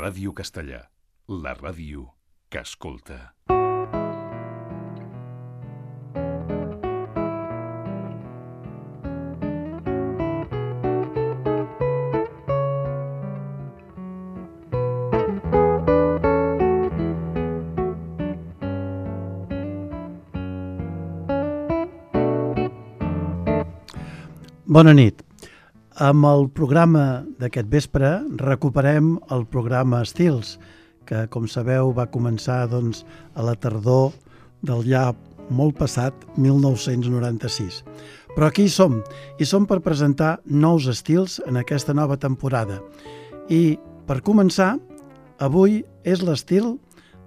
Ràdio Castellà, la ràdio que escolta. Bona nit. Amb el programa d'aquest vespre recuperem el programa Estils, que, com sabeu, va començar a la tardor del ja molt passat 1996. Però aquí hi som per presentar nous estils en aquesta nova temporada. I, per començar, avui és l'estil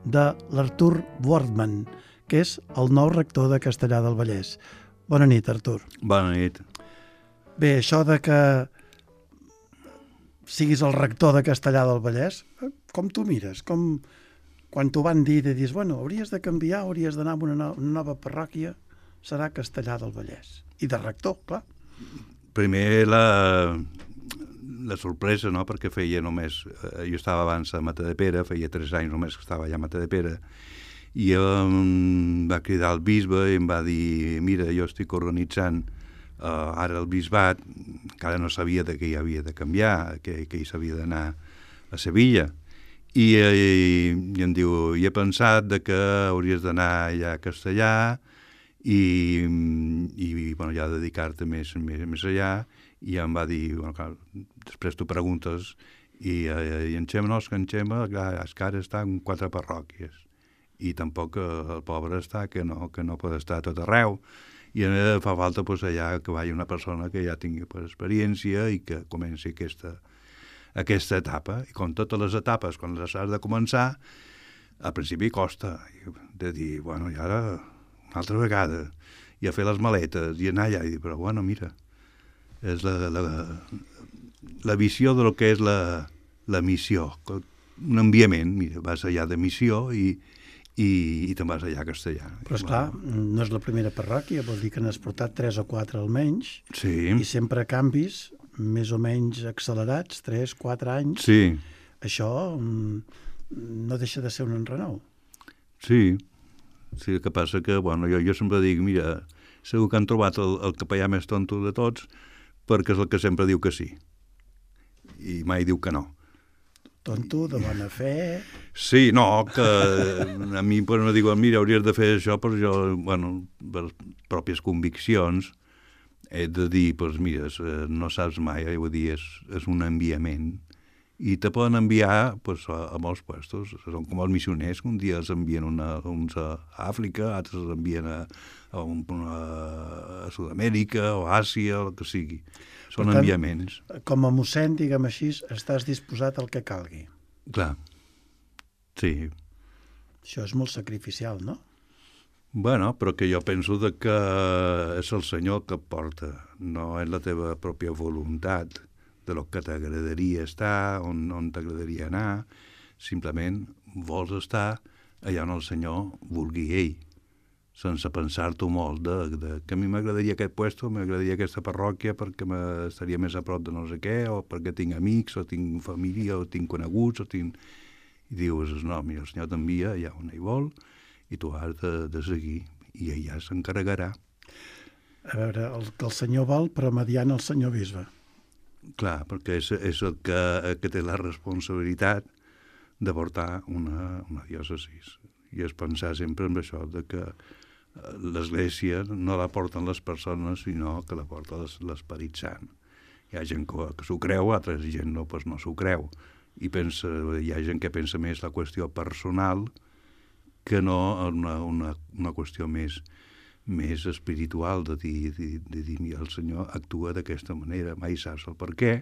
de l'Artur Wortmann, que és el nou rector de Castellar del Vallès. Bona nit, Artur. Bona nit. Bé, això de que siguis el rector de Castellar del Vallès, com t'ho mires? Quan t'ho van dir, dius, bueno, hauries de canviar, hauries d'anar a una nova parròquia, serà Castellar del Vallès. I de rector, clar. Primer la sorpresa, no?, perquè feia només... Jo estava abans a Matadepera, feia 3 anys només que estava allà a Matadepera, i em va cridar el bisbe i em va dir, mira, jo estic organitzant ara el bisbat, encara no sabia de què hi havia de canviar, que hi s'havia d'anar a Sevilla, i em diu, he pensat que hauries d'anar allà a Castellar i bueno, ja dedicar-te més allà, i em va dir, bueno, clar, després tu preguntes, i en Xema, que en Xema, clar, és que ara està en 4 parròquies, i tampoc el pobre està, que no pot estar a tot arreu, i fa falta allà que vagi una persona que ja tingui experiència i que comenci aquesta etapa. I com totes les etapes, quan les has de començar, al principi costa de dir, bueno, i ara una altra vegada, i a fer les maletes, i anar allà i dir, però bueno, mira, és la visió del que és la missió, un enviament, mira, vas allà de missió i te'n vas allà a Castellar. Però esclar, no és la primera parròquia, vol dir que n'has portat 3 o 4 almenys, sí. I sempre canvis més o menys accelerats, 3, 4 anys. Sí. Això no deixa de ser un enrenou. Sí, el que passa que, bueno, jo sempre dic, mira, segur que han trobat el capellà més tonto de tots perquè és el que sempre diu que sí, i mai diu que no. Tonto, de bona fe... Sí, no, que a mi me diuen, mira, hauries de fer això, però jo, bueno, per pròpies conviccions, he de dir, doncs mira, no saps mai, vull dir, és un enviament, i te poden enviar a molts puestos, són com els missioners, que un dia els envien uns a Àfrica, altres els envien a Sud-amèrica o a Àsia, o el que sigui. Són enviaments. Com a mossèn, diguem així, estàs disposat al que calgui. Clar, sí. Això és molt sacrificial, no? Bueno, però que jo penso que és el Senyor que et porta, no és la teva pròpia voluntat de lo que t'agradaria estar, on t'agradaria anar, simplement vols estar allà on el Senyor vulgui ell, sense pensar-t'ho molt que a mi m'agradaria aquest puesto, m'agradaria aquesta parròquia perquè estaria més a prop de no sé què, o perquè tinc amics, o tinc família, o tinc coneguts, I dius, no, mira, el Senyor t'envia allà on ell vol, i tu has de seguir, i ell ja s'encarregarà. A veure, el que el Senyor vol, però mediant el Senyor Bisbe. Clar, perquè és el que té la responsabilitat de portar una diòcesi. I és pensar sempre en això, de que l'Església no la porten les persones, sinó que la porta l'Esperit Sant. Hi ha gent que s'ho creu, altra gent no s'ho creu. I hi ha gent que pensa més la qüestió personal que no una qüestió més espiritual, de dir, mira, el Senyor actua d'aquesta manera, mai saps el per què,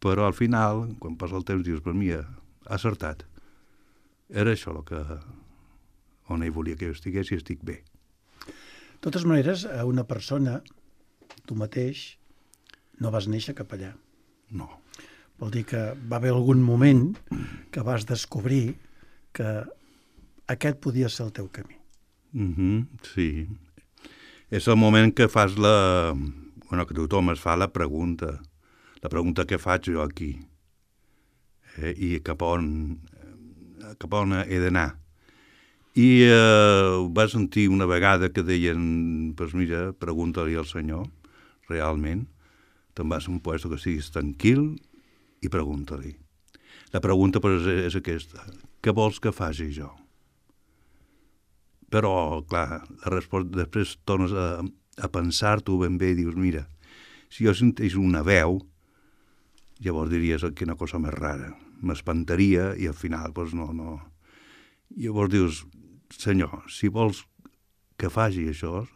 però al final, quan passa el temps, dius, però mira, ha acertat. Era això on ell volia que jo estigués i estic bé. De totes maneres, a una persona, tu mateix, no vas néixer capellà. No. Vol dir que va haver algun moment que vas descobrir que aquest podia ser el teu camí. Sí. És el moment que fas que tothom es fa la pregunta que faig jo aquí. i cap on he d'anar. I va sentir una vegada que deien, pues mira, pregunta-li al Senyor, realment, te'n vas a un lloc que siguis tranquil i pregunta-li. La pregunta pues, és aquesta, què vols que faci jo? Però, clar, la resposta, després tornes a pensar-t'ho ben bé i dius, mira, si jo sentís una veu, llavors diries que una cosa més rara. M'espantaria i al final, doncs no. Llavors dius, Senyor, si vols que faci això,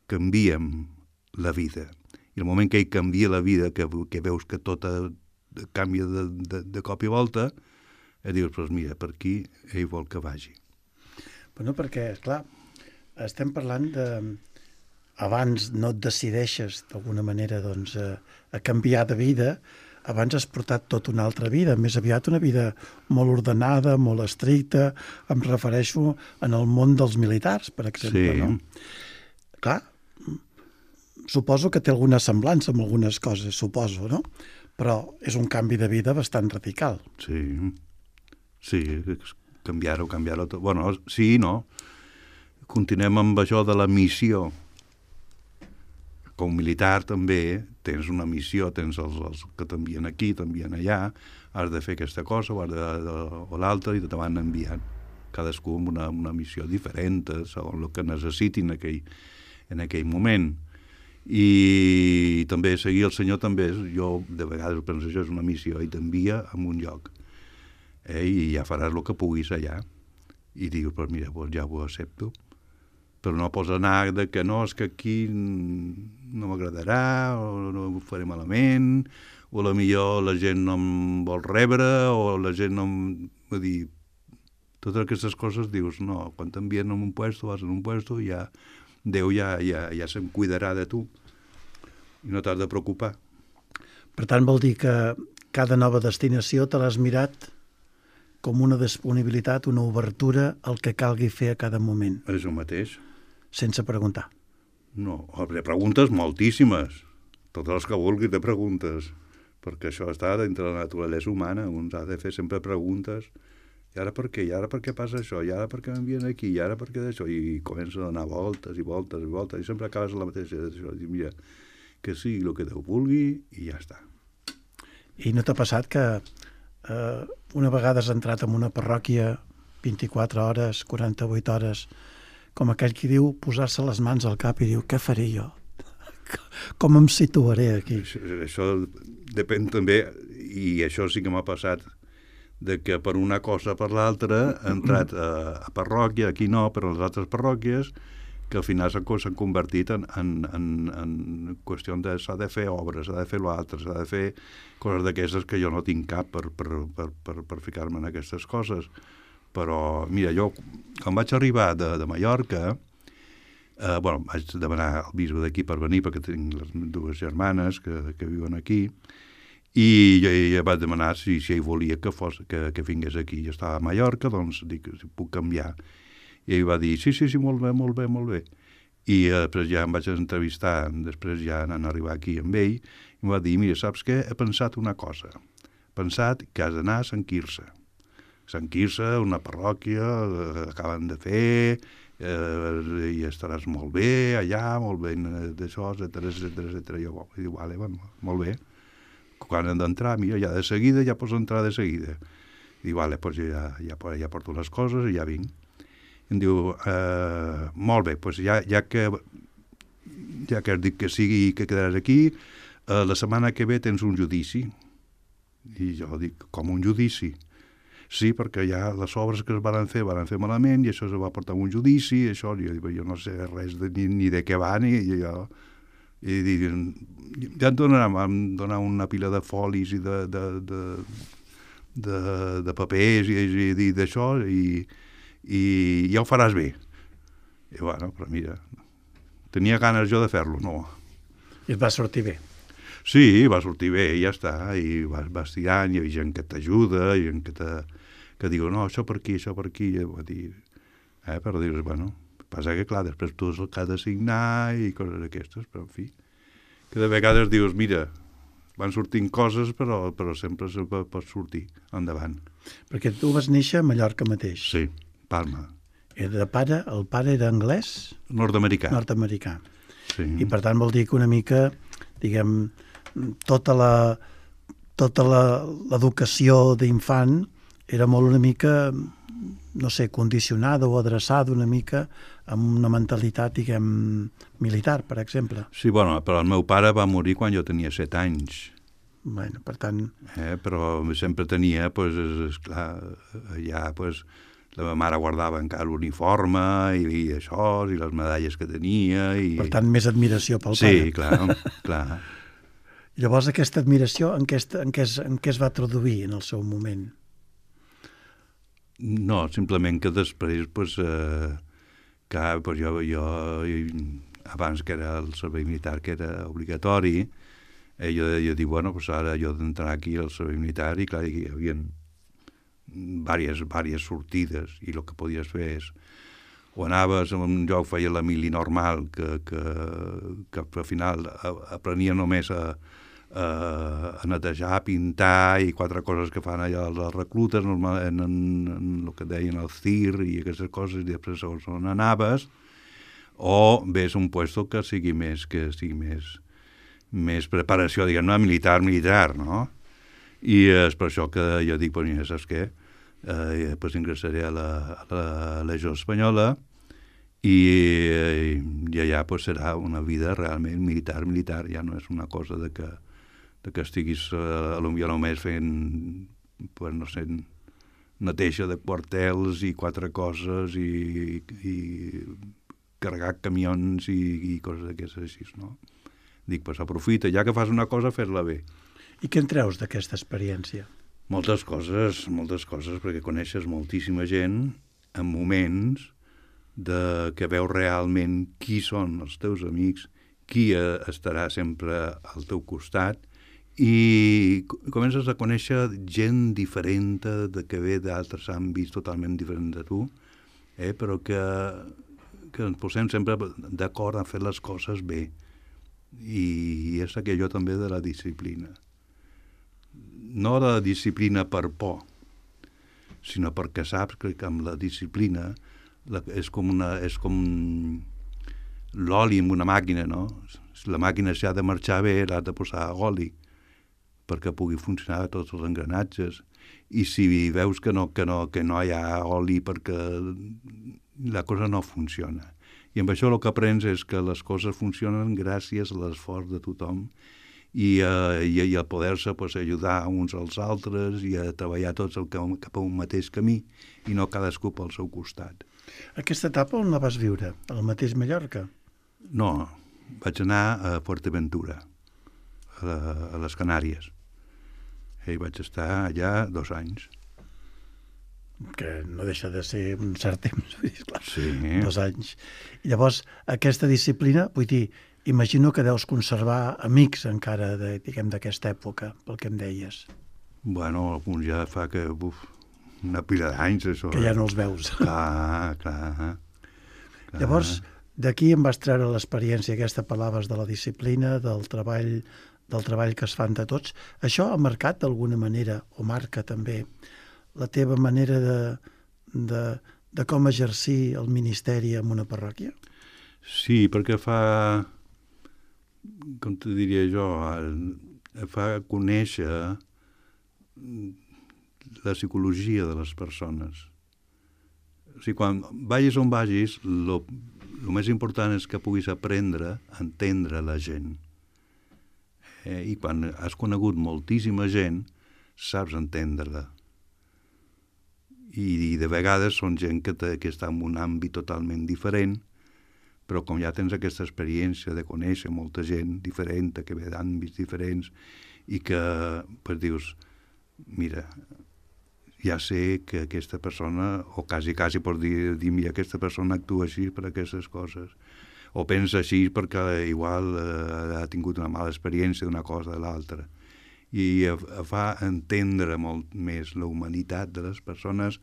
canviem la vida. I el moment que ell canvia la vida, que veus que tot canvia de cop i volta, dius, doncs mira, per aquí ell vol que vagi. Bueno, perquè, clar, estem parlant de... Abans no et decideixes, d'alguna manera, doncs, a canviar de vida, abans has portat tota una altra vida, més aviat una vida molt ordenada, molt estricta, em refereixo en el món dels militars, per exemple, sí. No? Clar, suposo que té alguna semblança amb algunes coses, suposo, no? Però és un canvi de vida bastant radical. Sí, canviar-ho tot. Bueno, sí, no? Continuem amb això de la missió. Com militar també tens una missió, tens els que t'envien aquí, t'envien allà, has de fer aquesta cosa o l'altra i te van enviant. Cadascú amb una missió diferent, segons el que necessitin en aquell moment. I també seguir el Senyor també, jo de vegades penso això és una missió i t'envia a un lloc. I ja faràs el que puguis allà. I dius, pues mira, pues ja ho accepto. Però no pots anar que no, és que aquí no m'agradarà, o no ho faré malament, o millor la gent no em vol rebre, o la gent no em... Vull dir, totes aquestes coses dius, no, quan t'envien en un puesto, vas en un puesto, ja Déu ja se'n cuidarà de tu i no t'has de preocupar. Per tant, vol dir que cada nova destinació te l'has mirat com una disponibilitat, una obertura al que calgui fer a cada moment. És el mateix. Sense preguntar. No, de preguntes moltíssimes. Totes les que vulguis de preguntes. Perquè això està dintre la naturalesa humana. Un ha de fer sempre preguntes. I ara per què? I ara per què passa això? I ara per què m'envien aquí? I ara per què d'això? I comença a donar voltes i voltes i voltes. I sempre acabes la mateixa. I mira, que sigui el que Déu vulgui i ja està. I no t'ha passat que una vegada has entrat en una parròquia 24 hores, 48 hores, com aquell qui diu posar-se les mans al cap i diu, què faré jo? Com em situaré aquí? Això depèn també, i això sí que m'ha passat, de que per una cosa o per l'altra he entrat a parròquia, aquí no, però a les altres parròquies, que al final s'han convertit en qüestió de s'ha de fer obres, s'ha de fer l'altre, s'ha de fer coses d'aquestes que jo no tinc cap per ficar-me en aquestes coses. Però, mira, jo, quan vaig arribar de Mallorca, vaig demanar al bisbe d'aquí per venir, perquè tinc les dues germanes que viuen aquí, i jo vaig demanar si ell volia que vingués aquí. Jo estava a Mallorca, doncs dic, si puc canviar. I ell va dir, sí, molt bé. I després ja em vaig entrevistar, després ja anant a arribar aquí amb ell, i em va dir, mira, saps què? He pensat una cosa. He pensat que has d'anar a Sant Quirze. Sant Quirze, una parròquia, acaben de fer, i estaràs molt bé allà, molt bé d'això, etcètera. Jo dic, vale, molt bé. Quan hem d'entrar, mira, ja de seguida, ja pots entrar de seguida. Dic, vale, doncs ja porto les coses i ja vinc. I em diu, molt bé, doncs ja que has dit que sigui i que quedaràs aquí, la setmana que ve tens un judici. I jo dic, com un judici? Sí, perquè ja les obres que es van fer malament i això es va portar a un judici, això, jo no sé res ni de què va, ni jo... I ja em donar una pila de folis i de papers i d'això i ja ho faràs bé. I bueno, però mira, tenia ganes jo de fer-lo, no. I et va sortir bé. Sí, va sortir bé, i ja està, i vas tirant, hi ha gent que t'ajuda, hi ha gent que diu, no, això per aquí, i va dir, però dius, bueno, passa que, clar, després tu és el que has de signar i coses d'aquestes, però, en fi, que de vegades dius, mira, van sortint coses, però sempre se pot sortir endavant. Perquè tu vas néixer a Mallorca mateix. Sí, Palma. El pare era anglès? Nord-americà. Nord-americà. Sí. I per tant vol dir que una mica, diguem, tota l'educació d'infant era molt una mica, no sé, condicionada o adreçada una mica amb una mentalitat, diguem, militar, per exemple. Sí, bueno, però el meu pare va morir quan jo tenia 7 anys. Bueno, per tant... Però sempre tenia, pues, esclar, ja, pues, la meva mare guardava encara l'uniforme i això, i les medalles que tenia. I... Per tant, més admiració pel pare. Sí, clar, clar. Llavors, aquesta admiració en què es va traduir en el seu moment? No, simplement que després, pues, pues jo, abans que era el servei militar, que era obligatori, jo dic, bueno, pues ara jo d'entrar aquí al servei militar, i clar, hi havia diverses sortides, i el que podies fer és o anaves a un lloc, feia la mili normal, que al final aprenia només a netejar, a pintar i 4 coses que fan allà els reclutes, normalment en el que deien el CIR i aquestes coses, i després segons on anaves, o ves un puesto que sigui més preparació, diguem, no militar, no? I és per això que jo dic, pues, ja saps què? Pues ingressaré a la Legió Espanyola i allà pues, serà una vida realment militar, ja no és una cosa de que estiguis potser només fent, pues, no sé, neteja de quartels i 4 coses i carregar camions i coses d'aquestes així, no? Dic, pues aprofita, ja que fas una cosa, fer-la bé. I què en treus d'aquesta experiència? Moltes coses, perquè coneixes moltíssima gent en moments que veus realment qui són els teus amics, qui estarà sempre al teu costat, i comences a conèixer gent diferent, que ve d'altres àmbits totalment diferents de tu, però que ens posem sempre d'acord a fer les coses bé. I és aquello també de la disciplina. No la disciplina per por, sinó perquè saps que amb la disciplina és com l'oli en una màquina, no? Si la màquina s'ha de marxar bé, l'has de posar oli perquè pugui funcionar tots els engranatges. I si veus que no hi ha oli perquè la cosa no funciona. I amb això el que aprens és que les coses funcionen gràcies a l'esforç de tothom i a poder-se pues, ajudar uns als altres i a treballar tots cap a un mateix camí i no cadascú pel seu costat. Aquesta etapa on la vas viure? Al mateix Mallorca? No, vaig anar a Fuerteventura, a les Canàries. I vaig estar allà 2 anys. Que no deixa de ser un cert temps, clar, sí. 2 anys. I llavors, aquesta disciplina, vull dir, imagino que deus conservar amics encara, d'aquesta època, pel que em deies. Bueno, alguns ja fa que, una pila d'anys, això. Que ja no els veus. Clar. Llavors, d'aquí em vas treure l'experiència aquesta, parlaves de la disciplina, del treball que es fan de tots. Això ha marcat d'alguna manera, o marca també, la teva manera de com exercir el ministeri en una parròquia? Sí, perquè fa, com te diria jo, fa conèixer la psicologia de les persones. O sigui, quan vagis on vagis, el més important és que puguis aprendre a entendre la gent. I quan has conegut moltíssima gent, saps entendre-la. I de vegades són gent que està en un àmbit totalment diferent, però com ja tens aquesta experiència de conèixer molta gent diferent, que ve d'àmbits diferents, i que pues, dius, mira, ja sé que aquesta persona, o quasi pots dir mira, aquesta persona actua així per aquestes coses, o pensa així perquè igual ha tingut una mala experiència d'una cosa o de l'altra. I fa entendre molt més la humanitat de les persones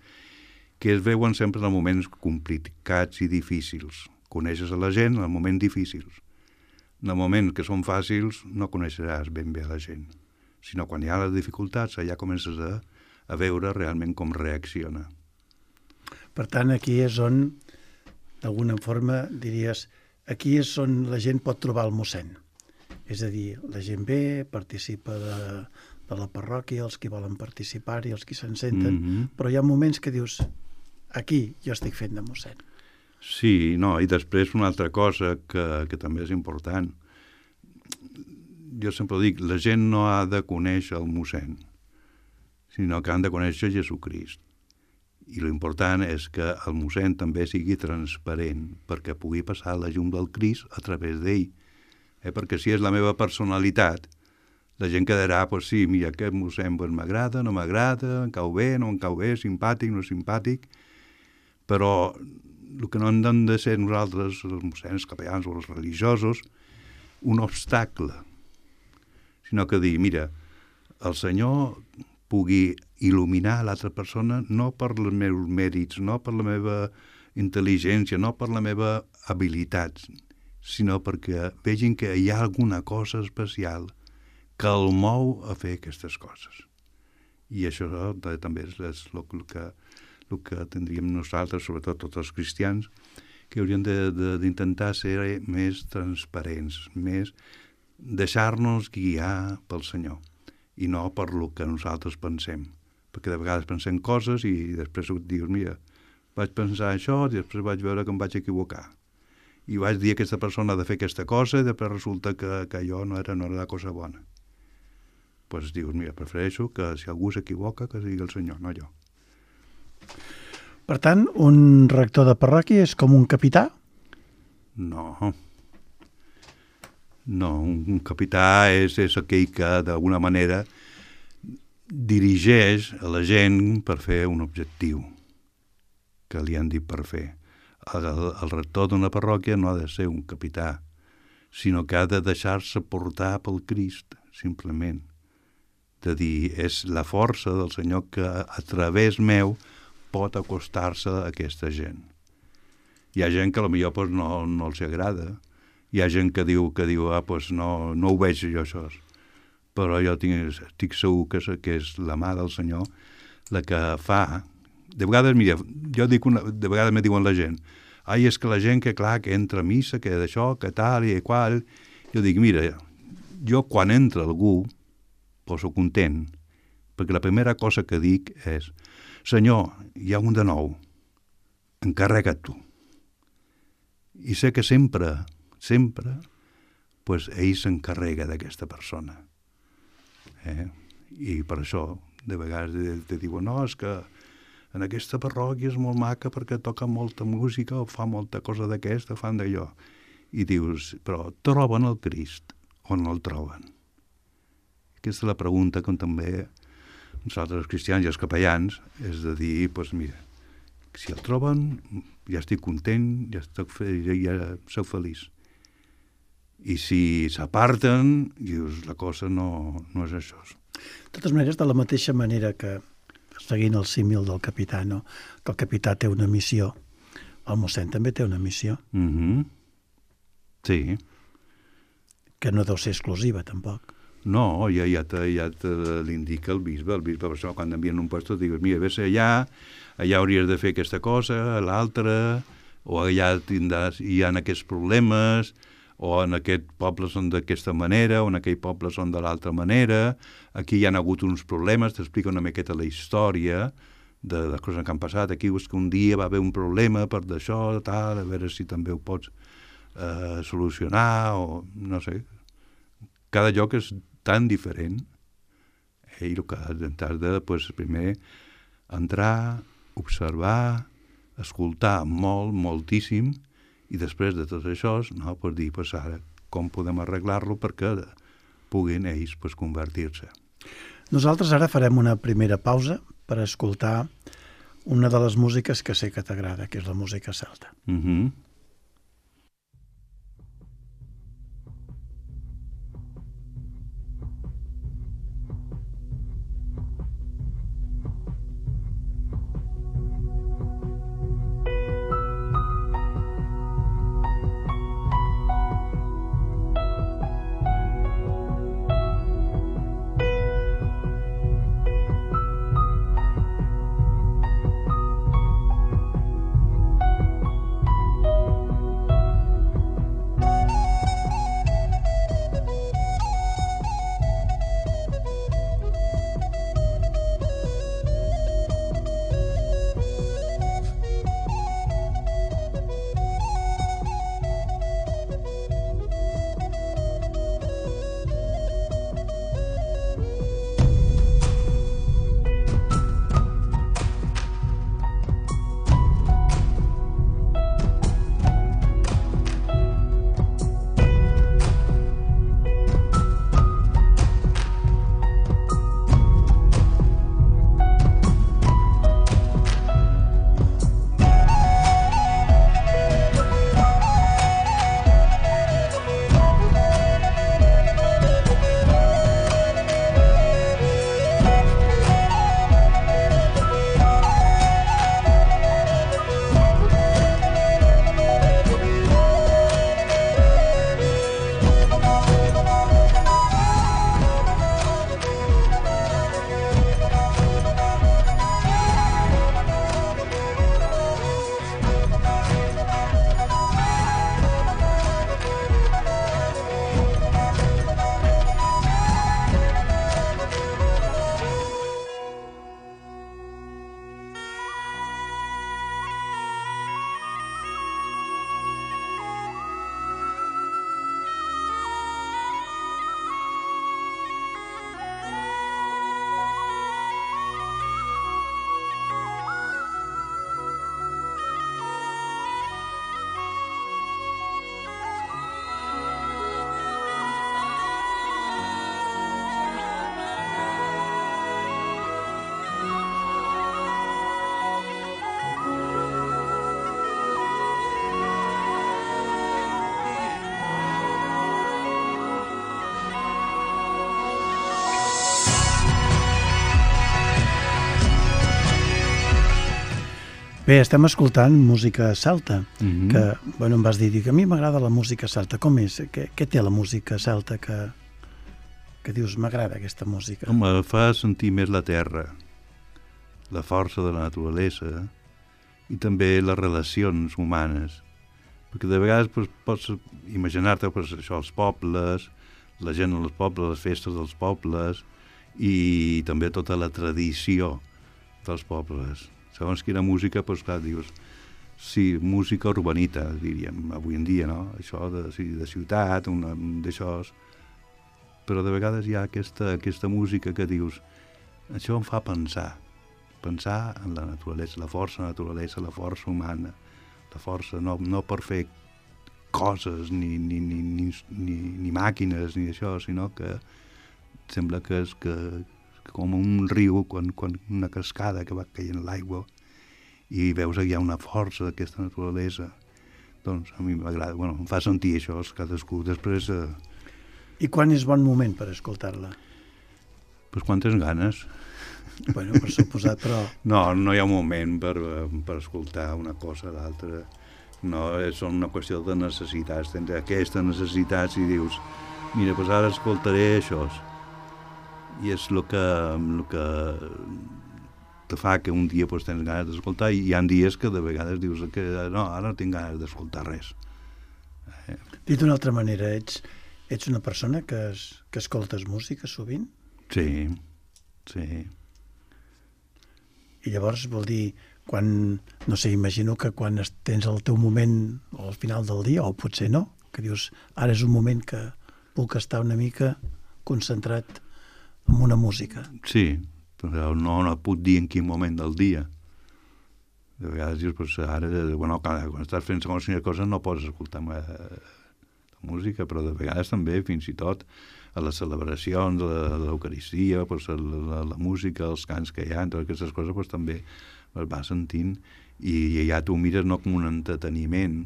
que es veuen sempre en moments complicats i difícils. Coneixes a la gent en moments difícils. En el moment que són fàcils no coneixeràs ben bé a la gent. sinó quan hi ha les dificultats ja comences a veure realment com reacciona. Per tant, aquí és on, d'alguna forma, diries, aquí és on la gent pot trobar el mossèn. És a dir, la gent ve, participa de la parròquia, els que volen participar-hi, els que se'n senten, però hi ha moments que dius, aquí jo estic fent de mossèn. Sí, no, i després una altra cosa que també és important. Jo sempre dic, la gent no ha de conèixer el mossèn, sinó que han de conèixer Jesucrist. I l'important és que el mossèn també sigui transparent perquè pugui passar la llum del Crist a través d'ell. Perquè si és la meva personalitat, la gent quedarà, pues sí, mira, aquest mossèn pues, m'agrada, no m'agrada, em cau bé, no em cau bé, simpàtic, no simpàtic, però el que no hem de ser nosaltres, els mossèns, capellans o els religiosos, un obstacle, sinó que dir, mira, el Senyor pugui il·luminar l'altra persona no per els meus mèrits, no per la meva intel·ligència, no per la meva habilitat, sinó perquè vegin que hi ha alguna cosa especial que el mou a fer aquestes coses. I això també és el que tindríem nosaltres, sobretot tots els cristians, que hauríem d'intentar ser més transparents, més deixar-nos guiar pel Senyor i no per el que nosaltres pensem. Perquè de vegades pensem coses i després dius, mira, vaig pensar això i després vaig veure que em vaig equivocar. I vaig dir a aquesta persona de fer aquesta cosa i després resulta que allò no era la cosa bona. Doncs dius, mira, prefereixo que si algú s'equivoca que sigui el Senyor, no jo. Per tant, un rector de parròquia és com un capità? No. No, un capità és aquell que d'alguna manera dirigeix a la gent per fer un objectiu que li han dit per fer. El rector d'una parròquia no ha de ser un capità, sinó que ha de deixar-se portar pel Crist, simplement. De dir, és la força del Senyor que a través meu pot acostar-se a aquesta gent. Hi ha gent que potser no els agrada, hi ha gent que diu pues no ho veig jo això, però jo estic segur que és la mà del Senyor la que fa. De vegades, mira, de vegades me diuen la gent, és que la gent que entra a missa, que d'això, que tal i qual, jo dic, mira, jo quan entra algú poso content, perquè la primera cosa que dic és, Senyor, hi ha un de nou, encarrega't tu. I sé que sempre, pues, ell s'encarrega d'aquesta persona. I per això, de vegades te diuen, no, és que en aquesta parròquia és molt maca perquè toca molta música o fa molta cosa d'aquesta, fan d'allò. I dius, però troben el Crist o no el troben? Aquesta és la pregunta que també nosaltres els cristians i els capellans és de dir, doncs mira, si el troben ja estic content, ja sóc feliç. I si s'aparten, dius, la cosa no és això. De totes maneres, de la mateixa manera que, seguint el símil del capità, no? Que el capità té una missió, el mossèn també té una missió. Sí. Que no deu ser exclusiva, tampoc. No, ja l'indica el bisbe, per això quan envien un pastor digues, mira, vés allà hauries de fer aquesta cosa, l'altra, o allà hi ha aquests problemes, o en aquest poble són d'aquesta manera, o en aquell poble són de l'altra manera, aquí hi ha hagut uns problemes, t'explica una miqueta la història de les coses que han passat, aquí és que un dia va haver un problema per d'això, tal, a veure si també ho pots solucionar, o no sé. Cada lloc és tan diferent, i el que has de, primer, entrar, observar, escoltar moltíssim, i després de tot això, dir, ara, com podem arreglar-lo perquè puguin ells convertir-se. Nosaltres ara farem una primera pausa per escoltar una de les músiques que sé que t'agrada, que és la música celta. Bé, estem escoltant música celta, Mhm. que, bueno, em vas dir que a mi m'agrada la música celta. Com és? Què té la música celta que dius, m'agrada aquesta música? Home, fa sentir més la terra, la força de la naturalesa i també les relacions humanes. Perquè de vegades pots imaginar-te això, els pobles, la gent als pobles, les festes dels pobles i també tota la tradició dels pobles. Segons quina música, clar, dius, sí, música urbanita, diríem, avui en dia, no? Això de ciutat, d'això. Però de vegades hi ha aquesta música que dius, això em fa pensar en la naturalesa, la força humana, la força, no per fer coses, ni màquines, ni això, sinó que sembla que és com un riu, quan una cascada que va caient l'aigua i veus que hi ha una força d'aquesta naturalesa. Doncs a mi m'agrada, em fa sentir això, cadascú. Després... I quan és bon moment per escoltar-la? Pues quan tens ganes. Bueno, per suposat, però... No hi ha un moment per escoltar una cosa o l'altra. No, és una qüestió de necessitats. Tens aquesta necessitat i dius, mira, pues ara escoltaré això. I és el que te fa que un dia pues, tens ganes d'escoltar i hi ha dies que de vegades dius que no, ara no tinc ganes d'escoltar res. Dit d'una altra manera, ets una persona que escoltes música sovint? Sí. I llavors vol dir, no sé, imagino que quan tens el teu moment al final del dia, o potser no, que dius, ara és un moment que puc estar una mica concentrat en una música. Sí, però no puc dir en quin moment del dia. De vegades dius, pues, ara, quan estàs fent segons quina cosa no pots escoltar la música, però de vegades també, fins i tot, a les celebracions de l'Eucaristia, pues, la música, els cants que hi ha, totes aquestes coses pues, també es va sentint i ja tu mires no com un entreteniment,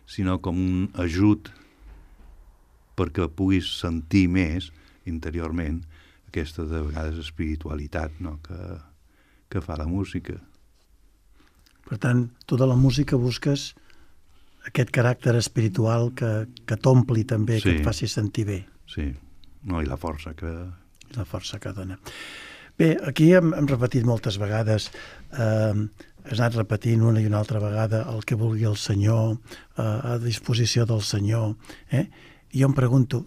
sinó com un ajut perquè puguis sentir més interiorment aquesta de vegades espiritualitat, no? que fa la música. Per tant, tu de la música busques aquest caràcter espiritual que t'ompli també, sí, que et faci sentir bé. Sí, no, i la força que... La força que dona. Bé, aquí hem repetit moltes vegades, has anat repetint una i una altra vegada el que vulgui el Senyor, a disposició del Senyor. I jo em pregunto,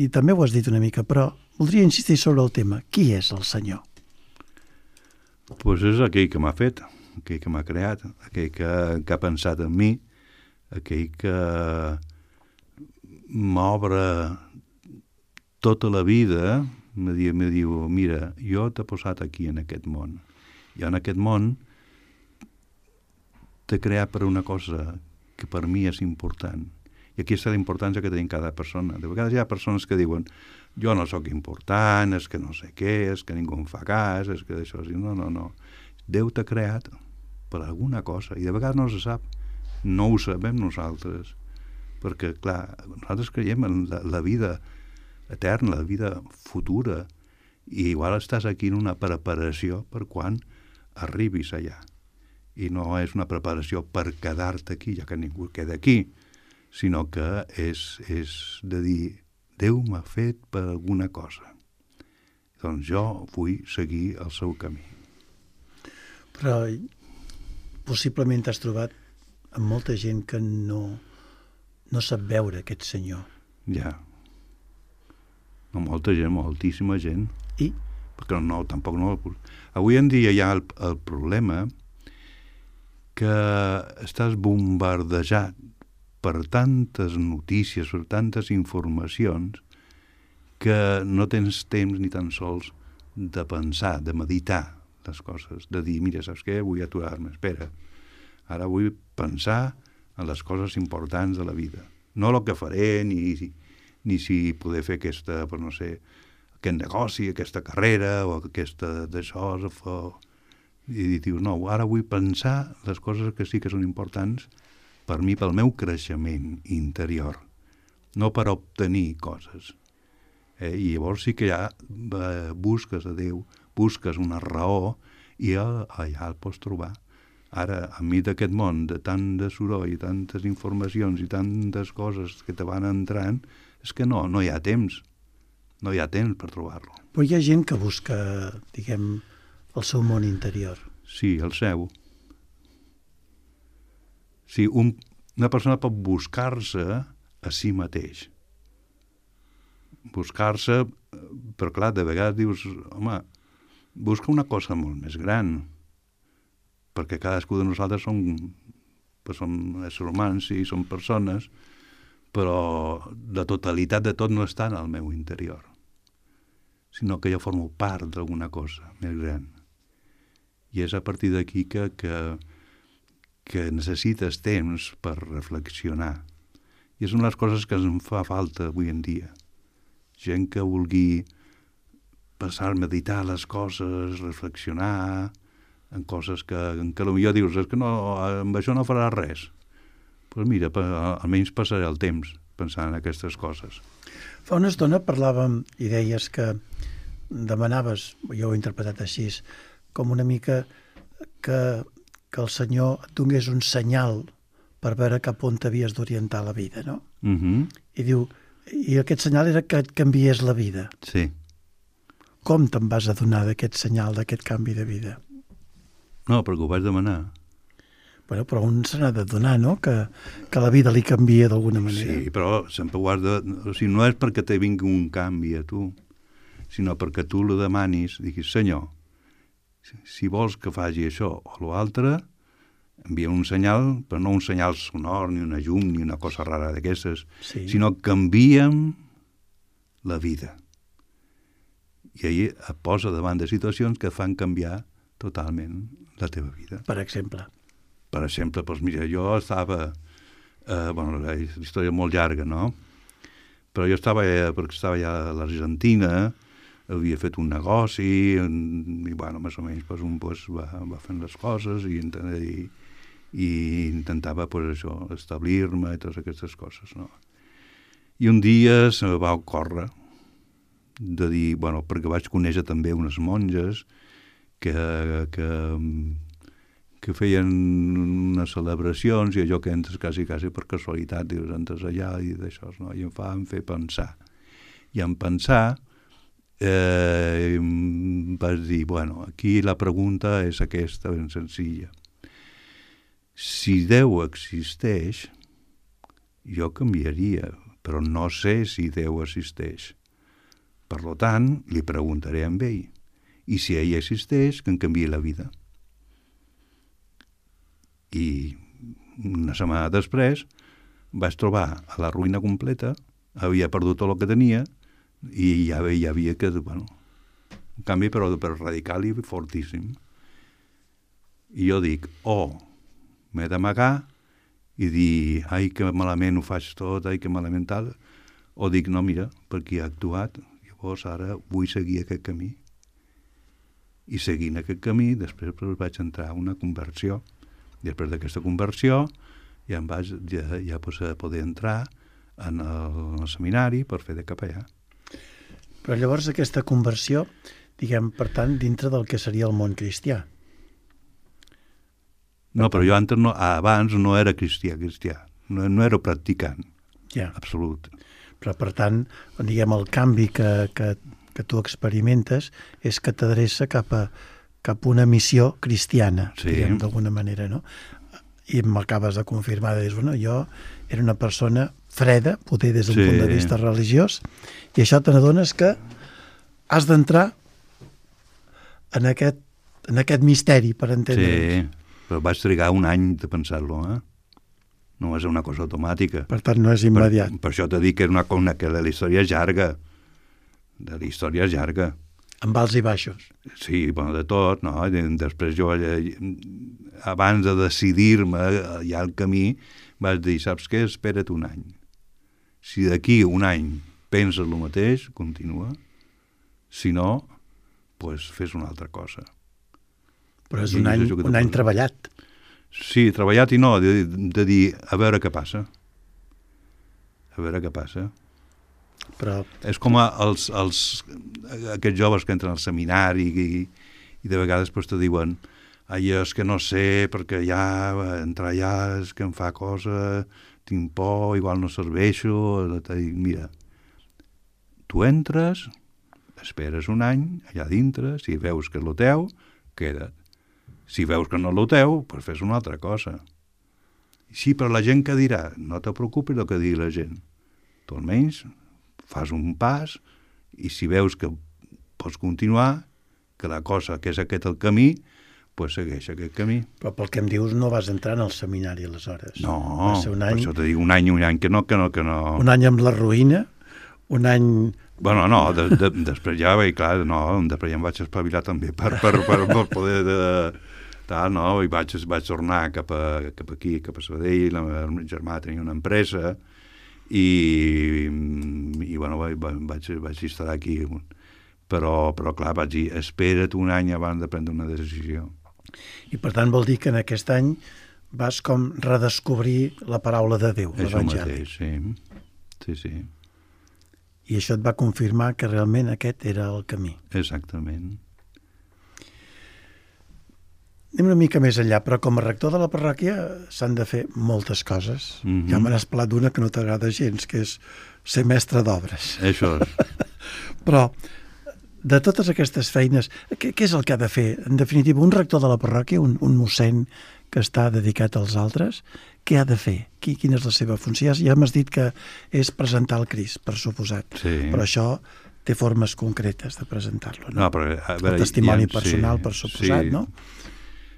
i també ho has dit una mica, però voldria insistir sobre el tema. Qui és el Senyor? Pues és aquell que m'ha fet, aquell que m'ha creat, aquell que ha pensat en mi, aquell que m'obre tota la vida, me diu, mira, jo t'he posat aquí en aquest món. I en aquest món t'he creat per una cosa que per mi és important. I aquí està la importància que tenim cada persona. De vegades hi ha persones que diuen jo no sóc important, és que no sé què, és que ningú em fa cas, és que això... No. Déu t'ha creat per alguna cosa i de vegades no se sap. No ho sabem nosaltres. Perquè, clar, nosaltres creiem en la vida eterna, la vida futura i igual estàs aquí en una preparació per quan arribis allà. I no és una preparació per quedar-te aquí, ja que ningú queda aquí, sinó que és de dir Déu m'ha fet per alguna cosa. Doncs jo vull seguir el seu camí. Però possiblement t'has trobat amb molta gent que no sap veure aquest Senyor. Ja. No, molta gent, moltíssima gent. I? Perquè tampoc no... Avui en dia hi ha el problema que estàs bombardejat per tantes notícies, per tantes informacions, que no tens temps ni tan sols de pensar, de meditar les coses, de dir, mira, saps què? Vull aturar-me, espera. Ara vull pensar en les coses importants de la vida. No el que faré, ni si poder fer aquest negoci, aquesta carrera, o aquesta d'això, i dius, no, ara vull pensar les coses que sí que són importants per mi, pel meu creixement interior, no per obtenir coses. I llavors sí que ja busques a Déu, busques una raó i allà el pots trobar. Ara, enmig d'aquest món, de tant de soroll, i tantes informacions i tantes coses que te van entrant, és que no hi ha temps. No hi ha temps per trobar-lo. Però hi ha gent que busca, diguem, el seu món interior. Sí, el seu. Sí, una persona pot buscar-se a si mateix. Buscar-se, però clar, de vegades dius, home, busca una cosa molt més gran, perquè cadascú de nosaltres som éssers humans, sí, som persones, però la totalitat de tot no està en el meu interior, sinó que jo formo part d'alguna cosa més gran. I és a partir d'aquí que necessites temps per reflexionar. I és una de les coses que em fa falta avui en dia. Gent que vulgui passar a meditar les coses, reflexionar en coses que potser dius, és que no, amb això no faràs res. Doncs mira, almenys passaré el temps pensant en aquestes coses. Fa una estona parlàvem i deies que demanaves, jo ho he interpretat així, com una mica que el Senyor et donés un senyal per veure cap on t'havies d'orientar la vida, no? I diu, i aquest senyal era que et canviés la vida. Sí. Com te'n vas adonar d'aquest senyal, d'aquest canvi de vida? No, perquè ho vaig demanar. Bueno, però un se n'ha de donar, no?, que la vida li canvia d'alguna manera. Sí, però sempre ho has de... O sigui, no és perquè te vingui un canvi a tu, sinó perquè tu lo demanis, diguis, Senyor, si vols que faci això o l'altre, envia un senyal, però no un senyal sonor, ni una llum, ni una cosa rara d'aquestes, Sí. sinó que canviem la vida. I ahir et posa davant de situacions que fan canviar totalment la teva vida. Per exemple. Per exemple, doncs mira, jo estava... la història és molt llarga, no? Però jo estava ja a l'Argentina, havia fet un negoci, i bueno, més o menys va fent les coses i intentava això, establir-me i totes aquestes coses, no? I un dia se me va ocórrer de dir, perquè vaig conèixer també unes monges que feien unes celebracions i allò que entres quasi per casualitat, dius, entres allà i d'això, no? I em fan fer pensar. I en pensar vaig dir, aquí la pregunta és aquesta, ben senzilla. Si Déu existeix, jo canviaria, però no sé si Déu existeix. Per tant, li preguntaré a ell. I si ell existeix, que em canviï la vida. I una setmana després vaig trobar a la ruïna completa, havia perdut tot el que tenia i ja havia que, un canvi però radical i fortíssim. I jo dic, m'he d'amagar i dir, ai, que malament ho faig tot, ai, que malament tal, o dic, no, mira, perquè ha actuat, llavors ara vull seguir aquest camí. I seguint aquest camí, després vaig entrar a una conversió. Després d'aquesta conversió ja vaig poder entrar en el seminari per fer de capellà. Però llavors aquesta conversió, diguem, per tant, dintre del que seria el món cristià. No, però jo abans no era cristià, no era practicant, absolut. Però per tant, diguem, el canvi que tu experimentes és que t'adreça cap a una missió cristiana, diguem, d'alguna manera, no? I m'acabes de confirmar, de dir, jo era una persona freda, poder des d'un punt de vista religiós, i això te n'adones que has d'entrar en aquest misteri, per entendre'ns. Sí, però vaig trigar un any de pensar-lo, No és una cosa automàtica. Per tant, no és immediat. Per això t'he dit que que la història és llarga. La història és llarga. Amb alts i baixos. Sí, de tot, no? Després jo, abans de decidir-me ja al camí, vaig dir, saps què? Espera't un any. Si d'aquí un any penses el mateix, continua. Si no, doncs fes una altra cosa. Però és un any treballat. Sí, treballat i no, de dir, a veure què passa. A veure què passa. Però... És com aquests joves que entren al seminari i de vegades te diuen és que no sé, perquè ja entrar allà és que em fa cosa, tinc por, igual no serveixo, dic, mira, tu entres, esperes un any allà dintre, si veus que és lo teu, queda't. Si veus que no és lo teu, doncs fes una altra cosa. Sí, però la gent que dirà, no te preocupis del que digui la gent. Tu almenys fas un pas i si veus que pots continuar, que la cosa que és aquest el camí, doncs segueix aquest camí. Però pel que em dius no vas entrar en el seminari aleshores. No, va ser un any, per això te dic un any que no. Un any amb la ruïna, un any... Bueno, no, després ja, clar, no, després ja em vaig espavilar també per poder tal, no, i vaig tornar cap aquí, cap a Sabadell, el meu germà tenia una empresa i bueno, vaig estar aquí, però clar, vaig dir, espera't un any abans de prendre una decisió. I per tant vol dir que en aquest any vas com redescobrir la paraula de Déu, l'Evangeli. Això mateix, sí. I això et va confirmar que realment aquest era el camí. Exactament. Anem una mica més enllà, però com a rector de la parròquia s'han de fer moltes coses. Ja me n'has parlat d'una que no t'agrada gens, que és ser mestre d'obres. Això és. Però de totes aquestes feines, què és el que ha de fer? En definitiva, un rector de la parròquia, un mossèn que està dedicat als altres, què ha de fer? Quina és la seva funció? Ja m'has dit que és presentar el Crist, per suposat. Sí. Però això té formes concretes de presentar-lo, no? No, però, a veure, el testimoni personal, per suposat, sí, no?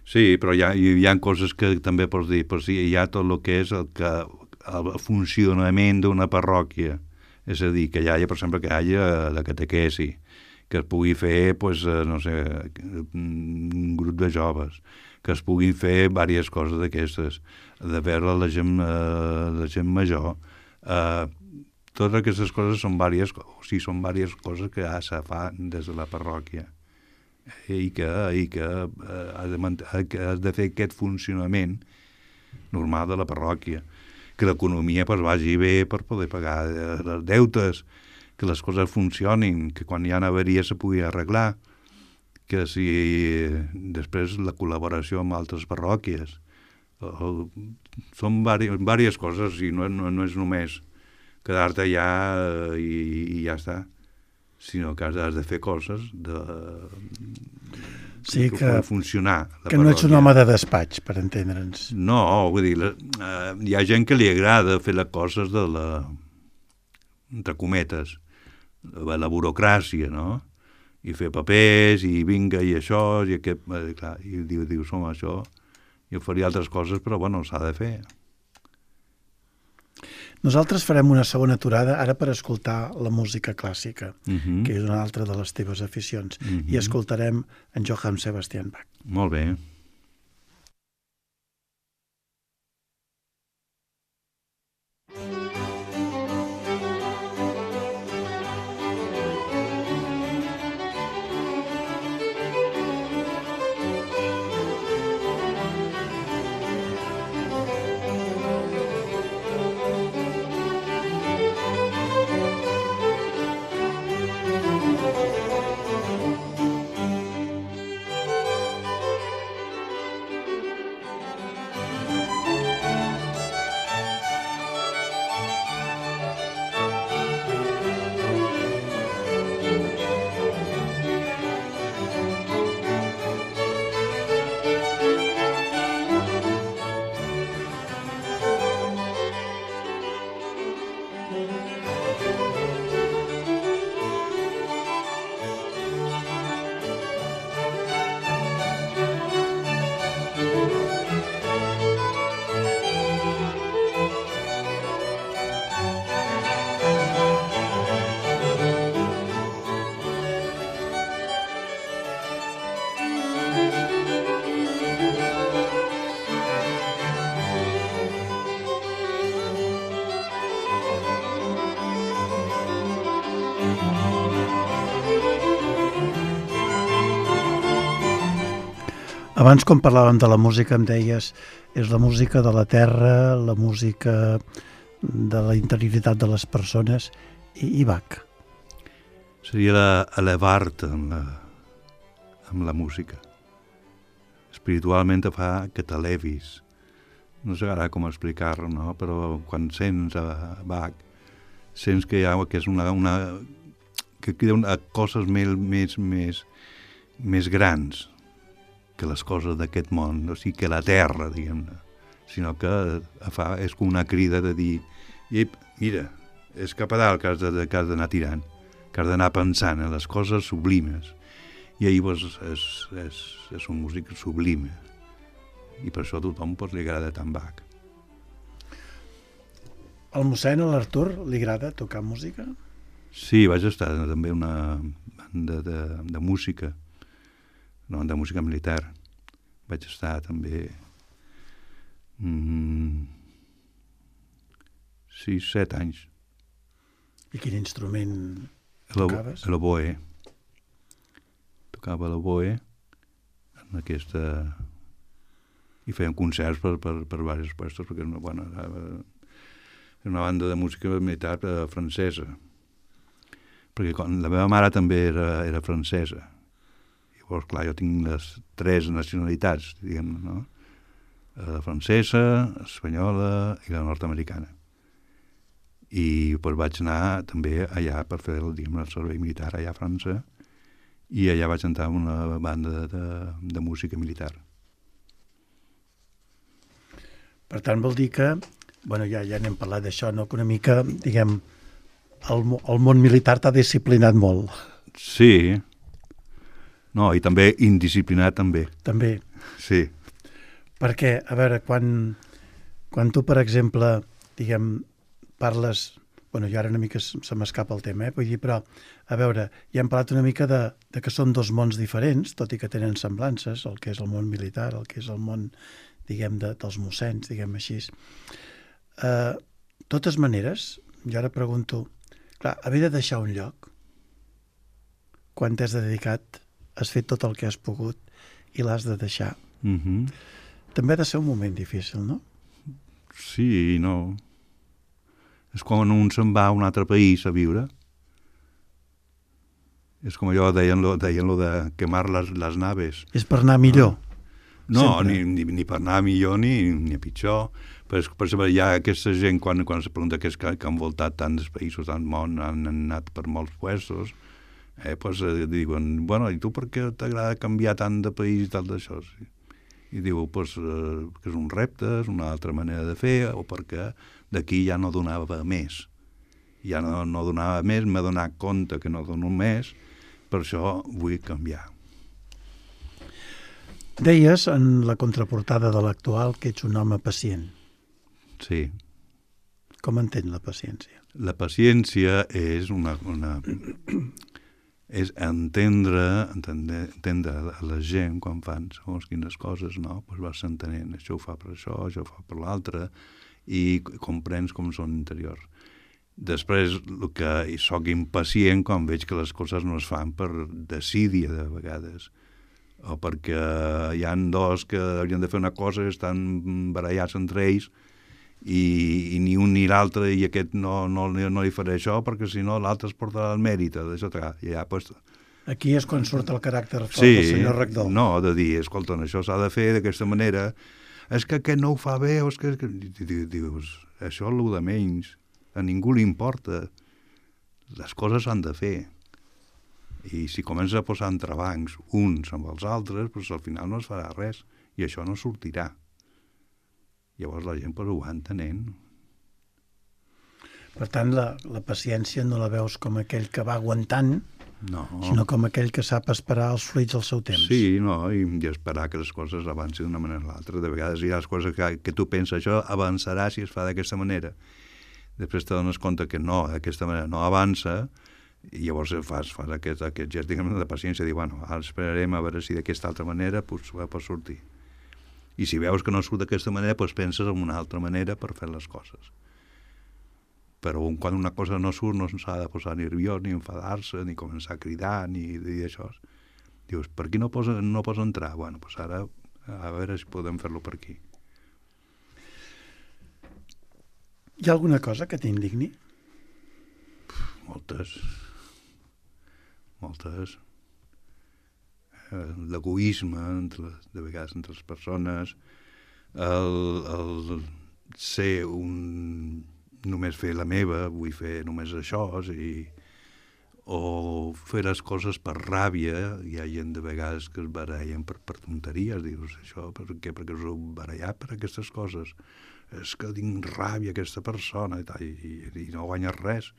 Sí, però hi ha coses que també pots dir, però sí, hi ha tot el que és el funcionament d'una parròquia. És a dir, que hi hagi, per exemple, que hi hagi la catequesi, que es pugui fer, pues, no sé, un grup de joves, que es puguin fer diverses coses d'aquestes, de veure la gent major. Totes aquestes coses són diverses coses que ja se fan des de la parròquia i que has de fer aquest funcionament normal de la parròquia, que l'economia pues, vagi bé per poder pagar els deutes, que les coses funcionin, que quan hi ha avaries se pugui arreglar, que si després la col·laboració amb altres parròquies. Són diverses coses i no és només quedar-te allà i ja està, sinó que has de fer coses sí, que funcionar. Que no ets un home de despatx, per entendre'ns. No, vull dir, hi ha gent que li agrada fer les coses entre cometes, la burocràcia, no? I fer papers, i vinga, i això, i aquest, clar, i dius, home, això, jo faria altres coses, però, bueno, s'ha de fer. Nosaltres farem una segona aturada ara per escoltar la música clàssica, que és una altra de les teves aficions, i escoltarem en Johann Sebastian Bach. Molt bé. Abans, quan parlàvem de la música, em deies és la música de la terra, la música de la interioritat de les persones, i Bach. Seria elevar-te amb la música. espiritualment te fa que t'elevis. No sé ara com explicar-ho, no? Però quan sents a Bach, sents que és que queden coses més grans que les coses d'aquest món, o sigui, que la terra, diguem-ne, sinó que és com una crida de dir, mira, és cap a dalt que has d'anar tirant, que has d'anar pensant en les coses sublimes. I ahir és un músic sublime. I per això a tothom li agrada tant Bach. Al mossèn, a l'Artur, li agrada tocar música? Sí, vaig estar també en una banda de música, una banda de música militar. Vaig estar també 6-7 anys. I quin instrument tocaves? L'oboe. Tocava l'oboe en aquesta... i fèiem concerts per diversos puestos, perquè era una banda de música militar francesa. Perquè la meva mare també era francesa. Llavors, clar, jo tinc les 3 nacionalitats, diguem-ne, no? La francesa, espanyola i la nord-americana. I doncs vaig anar també allà per fer el servei militar allà a França, i allà vaig entrar en una banda de música militar. Per tant, vol dir que, ja n'hem parlat d'això, no? Que una mica, diguem, el món militar t'ha disciplinat molt. Sí. No, i també indisciplinat també. També. Sí. Perquè, a veure, quan tu, per exemple, diguem, parles... jo ara una mica se m'escapa el tema, vull dir, però, a veure, ja hem parlat una mica de que són 2 mons diferents, tot i que tenen semblances, el que és el món militar, el que és el món, diguem, dels mossens, diguem així. Totes maneres, jo ara pregunto, clar, haver de deixar un lloc, quan t'has dedicat, has fet tot el que has pogut i l'has de deixar. També ha de ser un moment difícil, no? Sí i no. És quan un se'n va a un altre país a viure. És com allò, deien lo de quemar les naves. És per anar millor. No, ni per anar millor ni a pitjor. Per exemple, hi ha aquesta gent, quan se pregunta que han voltat tants països del món, han anat per molts puestos, diuen, i tu per què t'agrada canviar tant de país i tal d'això? I diu, que és un repte, és una altra manera de fer, o perquè d'aquí ja no donava més. Ja no donava més, m'he donat compte que no dono més, per això vull canviar. Deies en la contraportada de l'actual que ets un home pacient. Sí. Com entén la paciència? La paciència és és entendre la gent quan fan segons quines coses, no? Doncs vas entenent, això ho fa per això ho fa per l'altre, i comprens com són interiors. Després, el que soc impacient quan veig que les coses no es fan per desídia, de vegades, o perquè hi ha 2 que haurien de fer una cosa i estan barallats entre ells, i ni un ni l'altre, i aquest no li faré això perquè si no l'altre es portarà el mèrit d'això. Aquí és quan surt el caràcter fort del senyor rector. No, de dir, escolta, això s'ha de fer d'aquesta manera, és que aquest no ho fa bé, o és que... Dius, això és el de menys, a ningú li importa, les coses s'han de fer, i si comença a posar entrebancs uns amb els altres, doncs al final no es farà res, i això no sortirà. Llavors la gent ho va entenent. Per tant, la paciència no la veus com aquell que va aguantant, no, sinó com aquell que sap esperar els fruits al seu temps. Sí, no, i esperar que les coses avancin d'una manera o l'altra. De vegades hi ha les coses que tu penses, això avançarà si es fa d'aquesta manera. Després te dones compte que no, d'aquesta manera no avança, i llavors fas aquest gest, diguem, de paciència, dir, ara esperarem a veure si d'aquesta altra manera pot sortir. I si veus que no surt d'aquesta manera, doncs penses en una altra manera per fer les coses. Però quan una cosa no surt no s'ha de posar nerviós, ni enfadar-se, ni començar a cridar, ni dir això. Dius, per aquí no pots entrar? Doncs ara a veure si podem fer-lo per aquí. Hi ha alguna cosa que t'indigni? Moltes. l'egoisme de vegades entre les persones, el ser només fer la meva, vull fer només això, o fer les coses per ràbia. Hi ha gent de vegades que es barallen per tonteries, dius això, per què? Perquè us heu barallat per aquestes coses. És que tinc ràbia aquesta persona i no guanyes res.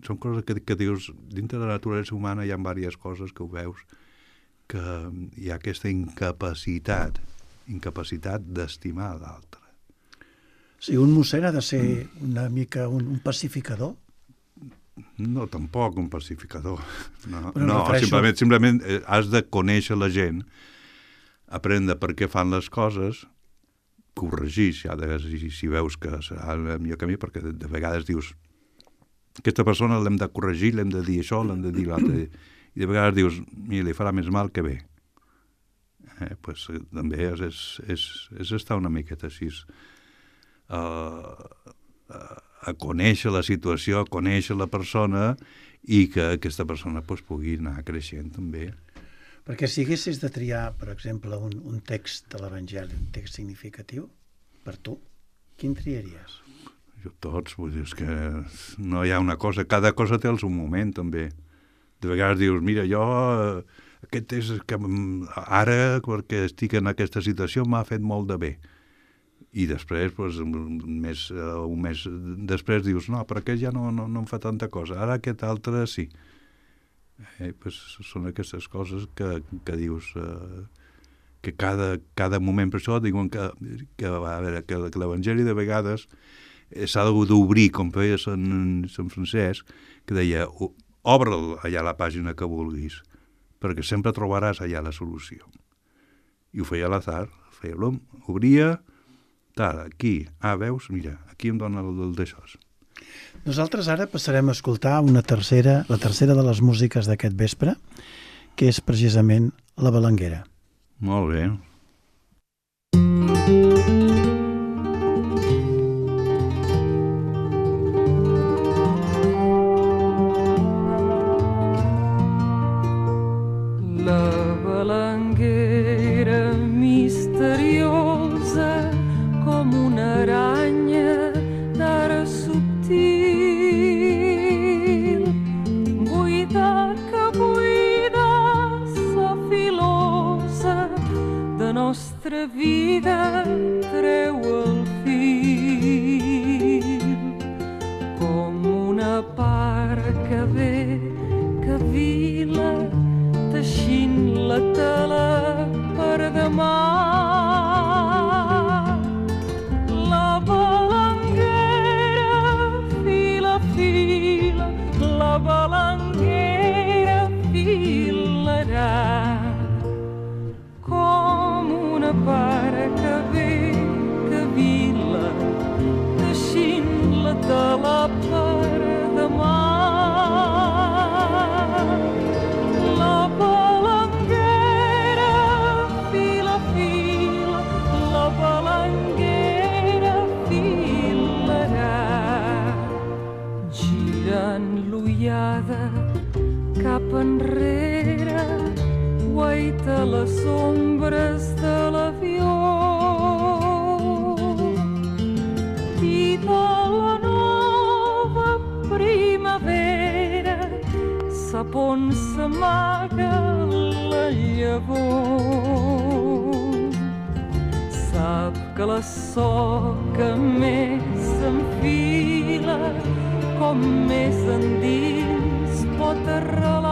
Són coses que dius, dintre de la naturalesa humana hi ha diverses coses que ho veus, que hi ha aquesta incapacitat d'estimar l'altre. Si un mossèn ha de ser una mica un pacificador? No, tampoc un pacificador. No, refereixo... simplement has de conèixer la gent, aprendre per què fan les coses, corregir, si veus que serà el millor camí, perquè de vegades dius aquesta persona l'hem de corregir, l'hem de dir això, l'hem de dir l'altre, i de vegades dius, mira, li farà més mal que bé. Pues, també és estar una miqueta així, a conèixer la situació, a conèixer la persona, i que aquesta persona pues, pugui anar creixent també. Perquè si haguessis de triar, per exemple, un text de l'Evangeli, un text significatiu, per tu, quin triaries? Jo tots, vull dir, és que no hi ha una cosa, cada cosa té el seu moment també. De vegades dius, mira, jo aquest és que ara, perquè estic en aquesta situació, m'ha fet molt de bé. I després, doncs, un mes després dius, no, però aquest ja no em fa tanta cosa, ara aquest altre sí. Doncs són aquestes coses que dius que cada moment, per això diuen que l'Evangeli de vegades s'ha d'obrir, com feia Sant Francesc, que deia, obre allà la pàgina que vulguis, perquè sempre trobaràs allà la solució. I ho feia a l'azar, feia l'hom, obria, tal, aquí, veus, mira, aquí em dona el d'això. Nosaltres ara passarem a escoltar la tercera de les músiques d'aquest vespre, que és precisament la Balanguera. Molt bé. Vida treu el fil com una part que ve, que vila, teixint la tela per demà. La balanguera fila, fila, la balanguera filarà pare que ve, que vila, teixint la tela per demà. La balanguera fila, fila, la balanguera filarà. Girant l'ullada cap enrere, guaita les ombres de l'avió i de la nova primavera sap on s'amaga la llavor. Sap que la soca més s'enfila com més endins pot arrelar.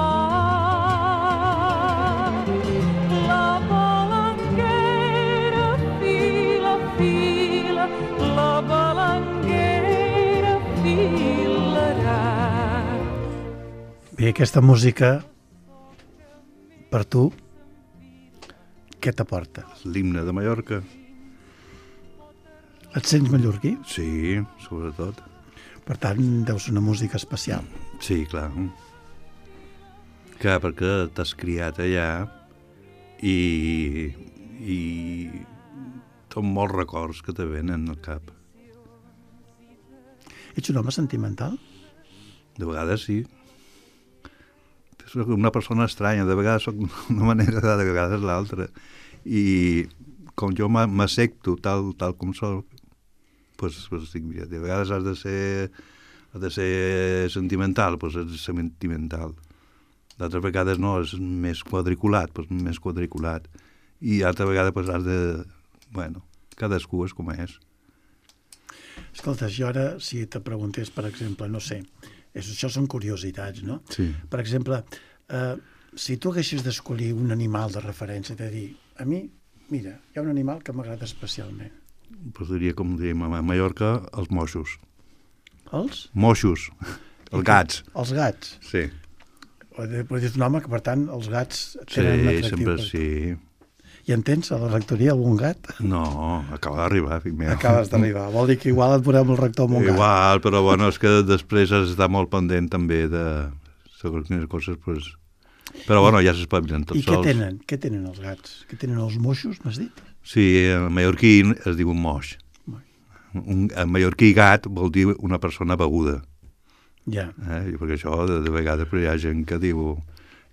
La balanguera fila, fila, la balanguera filarà. Bé, aquesta música, per tu, què t'aporta? L'himne de Mallorca. Et sents mallorquí? Sí, sobretot. Per tant, deu ser una música especial. Sí, clar. Clar, perquè t'has criat allà i són molts records que te venen al cap. Ets un home sentimental? De vegades sí. soc una persona estranya, de vegades soc una manera, de vegades l'altra. I com jo m'accepto tal com soc, pues dic, mira, de vegades has de ser sentimental, pues has de ser sentimental. D'altres vegades no, és més quadriculat, pues més quadriculat. I altra vegada pues has de... Bueno, cadascú és com és. Escolta, jo ara, si te preguntés, per exemple, no sé, això són curiositats, no? Sí. Per exemple, si tu haguessis d'escollir un animal de referència, de dir, a mi, mira, hi ha un animal que m'agrada especialment. Pues diria, com diem a Mallorca, els moixos. Els? Moixos, els gats. Els gats. Sí. Però dit un home que, per tant, els gats tenen un atractiu. Sempre sí. I en tens a la rectoria algun gat? No, acaba d'arribar, fill meu. Acabes d'arribar. Vol dir que igual et veurem el rector amb un gat. Igual, però bueno, és que després has d'estar molt pendent també de segons quines coses, pues... Però bueno, ja s'espavilen tots sols. I què tenen? Què tenen els gats? Què tenen els moixos, m'has dit? Sí, en mallorquí es diu un moix. En mallorquí gat vol dir una persona beguda. Ja. Perquè això, de vegades, hi ha gent que diu,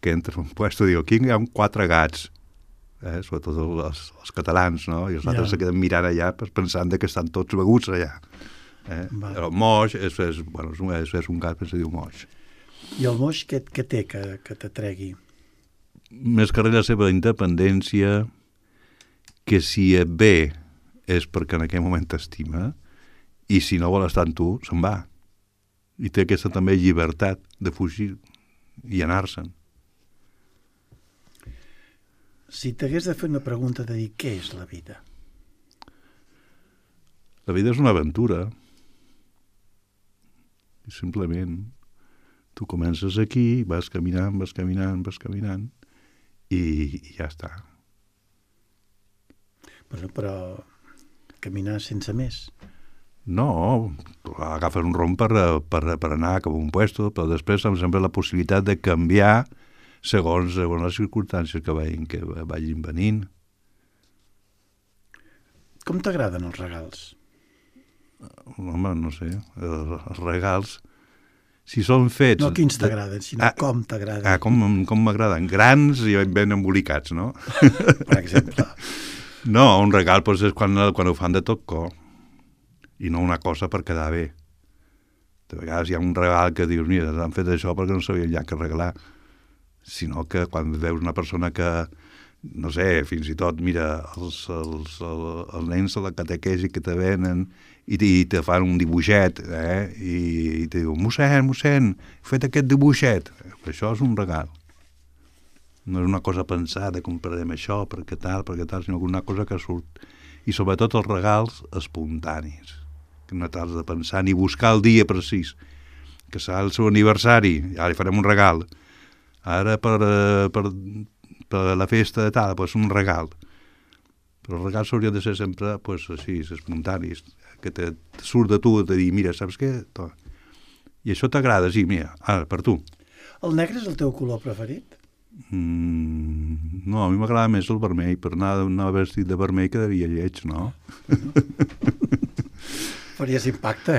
que entra en un puesto i diu, aquí hi ha 4 gats. Sobretot els catalans, no? I els altres se queden mirant allà pensant que estan tots beguts allà. Però el moix és un gat que se diu moix. I el moix què té que t'atregui? Més que res la seva independència, que si et ve és perquè en aquell moment t'estima, i si no vol estar amb tu, se'n va. I té aquesta també llibertat de fugir i anar-se'n. Si t'hagués de fer una pregunta de dir què és la vida? La vida és una aventura. I simplement tu comences aquí, vas caminant, i ja està. Però caminar sense més? No, agafes un rom per anar cap a un puesto, però després em sembla la possibilitat de canviar segons les circumstàncies que vagin venint. Com t'agraden els regals? Home, no sé, els regals, si són fets... No quins t'agraden, sinó com t'agraden. Com m'agraden, grans i ben embolicats, no? Per exemple. No, un regal és quan ho fan de tot cor, i no una cosa per quedar bé. De vegades hi ha un regal que dius, mira, han fet això perquè no sabien ja què regalar, sinó que quan veus una persona que, no sé, fins i tot, mira, els nens de la catequesi que te venen i te fan un dibuixet, i te diuen, mossèn, he fet aquest dibuixet. Això és un regal. No és una cosa pensada, comprarem això, perquè tal, sinó una cosa que surt. I sobretot els regals espontanis, que no t'has de pensar ni buscar el dia precís, que serà el seu aniversari, ja li farem un regal. Ara per la festa de tal, doncs un regal. Però els regals haurien de ser sempre així, espontanis, que te surt de tu de dir, mira, saps què? I això t'agrada, sí, mira, ara, per tu. El negre és el teu color preferit? No, a mi m'agrada més el vermell, per anar vestit de vermell quedaria lleig, no? Faries impacte,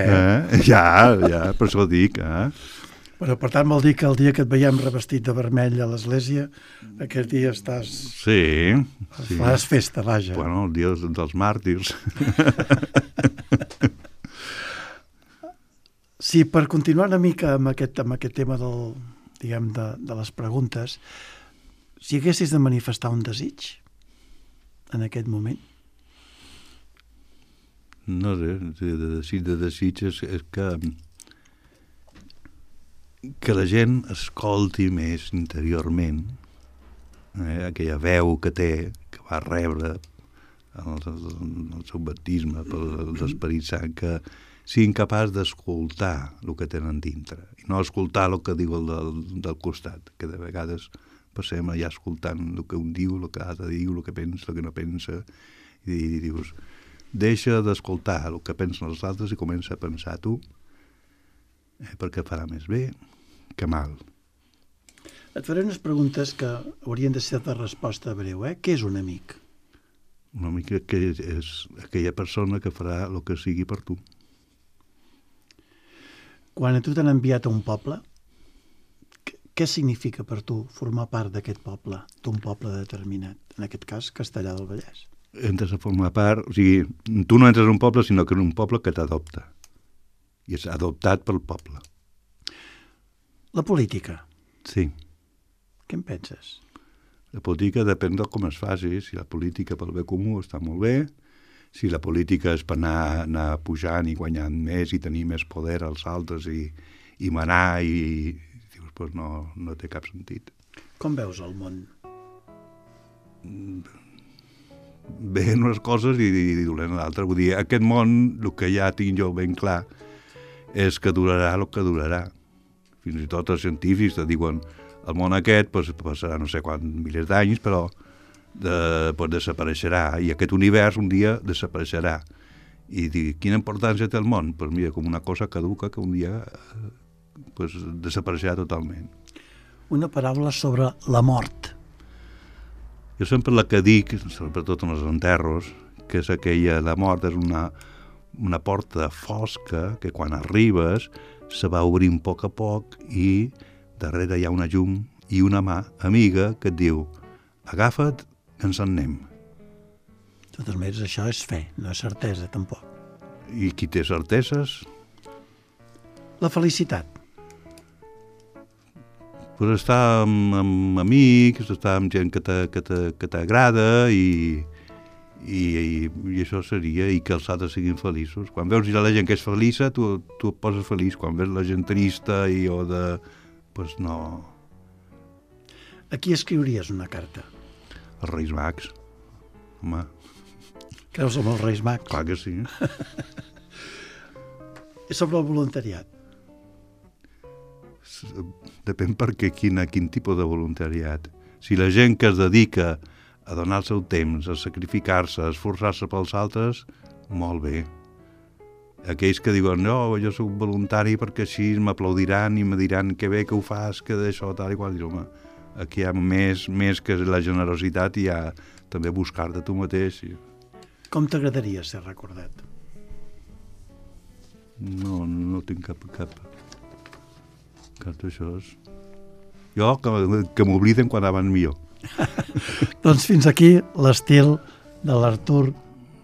Ja, per això ho dic, Però, per tant, vol dir que el dia que et veiem revestit de vermell a l'església, aquest dia estàs... Sí. Faràs festa, vaja. Bueno, el dia dels màrtirs. Sí, per continuar una mica amb aquest tema de les preguntes, si haguessis de manifestar un desig en aquest moment? No sé, de desig és que la gent escolti més interiorment aquella veu que té, que va rebre el seu baptisme per l'Esperit Sant, que siguin capaç d'escoltar el que tenen dintre i no escoltar el que diu el del costat, que de vegades passem allà escoltant el que un diu, el que l'altre diu, el que pensa, el que no pensa, i dius, deixa d'escoltar el que pensen els altres i comença a pensar tu, perquè farà més bé que mal. Et faré unes preguntes que haurien de ser de resposta breu. Què és un amic? Un amic que és aquella persona que farà el que sigui per tu. Quan a tu t'han enviat a un poble, Què significa per tu formar part d'aquest poble, d'un poble determinat, en aquest cas Castellar del Vallès? Entres a formar part, o sigui, tu no entres a un poble, sinó que en un poble que t'adopta. I és adoptat pel poble. La política, Sí. què en penses? La política depèn de com es faci. Si la política pel bé comú està molt bé, si la política és per anar pujant i guanyant més i tenir més poder als altres i manar i dius, pues no té cap sentit. Com veus el món? Bé unes coses i dolent l'altra. Vull dir, aquest món, el que ja tinc jo ben clar, és que durarà el que durarà. Fins i tot els científics te diuen el món aquest passarà no sé quants milers d'anys, però desapareixerà, i aquest univers un dia desapareixerà. I dic, quina importància té el món? Pues mira, com una cosa caduca que un dia desapareixerà totalment. Una paraula sobre la mort. Jo sempre la que dic, sobretot en els enterros, que és aquella, la mort és una porta fosca que quan arribes se va obrint a poc i darrere hi ha una llum i una mà amiga que et diu agafa't, que ens en anem. De totes maneres, això és fe, no és certesa, tampoc. I qui té certeses? La felicitat. Pues estar amb amics, estar amb gent que t'agrada i això seria, i que els altres siguin feliços. Quan veus la gent que és feliça, tu et poses feliç. Quan veus la gent trista pues no. A qui escriuries una carta? Els Reis Mags. Home, Creus en els Reis Mags? clar que sí. I sobre el voluntariat? Depèn perquè quin tipus de voluntariat. Si la gent que es dedica a donar el seu temps, a sacrificar-se, a esforçar-se pels altres, molt bé. Aquells que diuen, no, jo soc voluntari perquè així m'aplaudiran i me diran que bé que ho fas, que d'això, tal i qual. Home, aquí hi ha més que la generositat, i hi ha també buscar-te tu mateix. Com t'agradaria ser recordat? No tinc cap d'això. Jo, que m'obliden quan van millor. Doncs fins aquí l'estil de l'Artur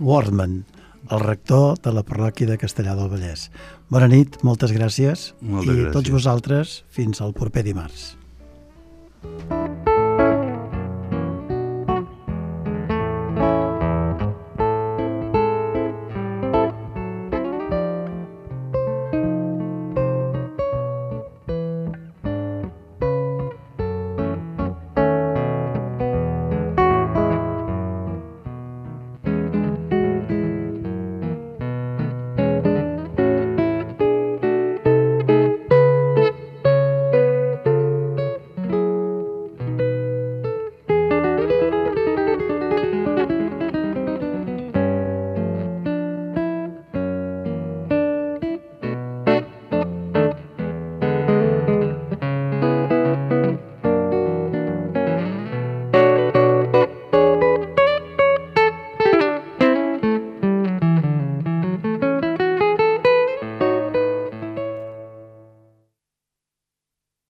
Wortman, el rector de la parròquia de Castellar del Vallès. Bona nit, moltes gràcies. Moltes gràcies. I tots vosaltres, fins al proper dimarts.